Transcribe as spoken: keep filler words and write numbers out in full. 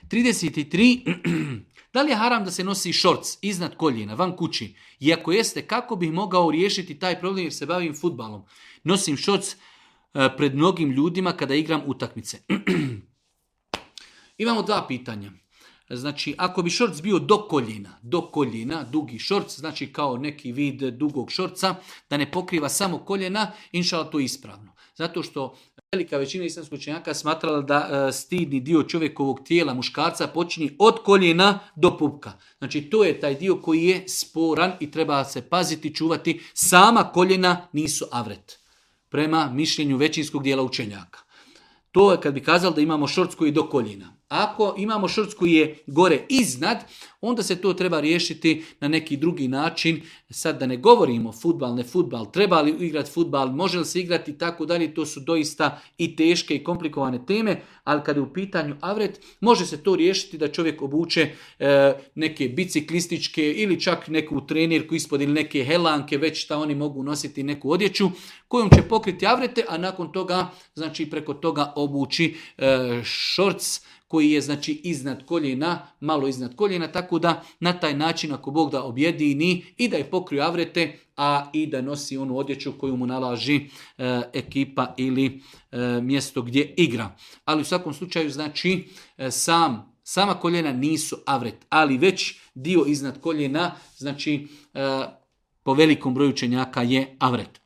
trideset tri. Da li je haram da se nosi šorc iznad koljena, van kući? I ako jeste, kako bih mogao riješiti taj problem jer se bavim fudbalom? Nosim šorc pred mnogim ljudima kada igram utakmice. Imamo dva pitanja. Znači, ako bi šorc bio do koljena, do koljena, dugi šorc, znači kao neki vid dugog šorca, da ne pokriva samo koljena, inšala to je ispravno. Zato što velika većina islamskih učenjaka smatrala da e, stidni dio čovjekovog tijela, muškarca, počinje od koljena do pupka. Znači, to je taj dio koji je sporan i treba se paziti, čuvati. Sama koljena nisu avret, prema mišljenju većinskog dijela učenjaka. To je kad bi kazali da imamo šorc koji je do koljena. Ako imamo šorc koji je gore iznad, onda se to treba riješiti na neki drugi način. Sad da ne govorimo fudbal, ne fudbal, treba li igrati fudbal, može li se igrati i tako dalje, to su doista i teške i komplikovane teme, ali kada je u pitanju avret, može se to riješiti da čovjek obuče e, neke biciklističke ili čak neku trenirku ispod ili neke helanke, već šta oni mogu nositi neku odjeću kojom će pokriti avrete, a nakon toga, znači preko toga obući e, šorc koji je znači iznad koljena, malo iznad koljena, tako da na taj način ako Bog da objedini i da je pokriju avrete, a i da nosi onu odjeću koju mu nalaži e, ekipa ili e, mjesto gdje igra. Ali u svakom slučaju znači e, sam, sama koljena nisu avret, ali već dio iznad koljena, znači e, po velikom broju učenjaka je avret.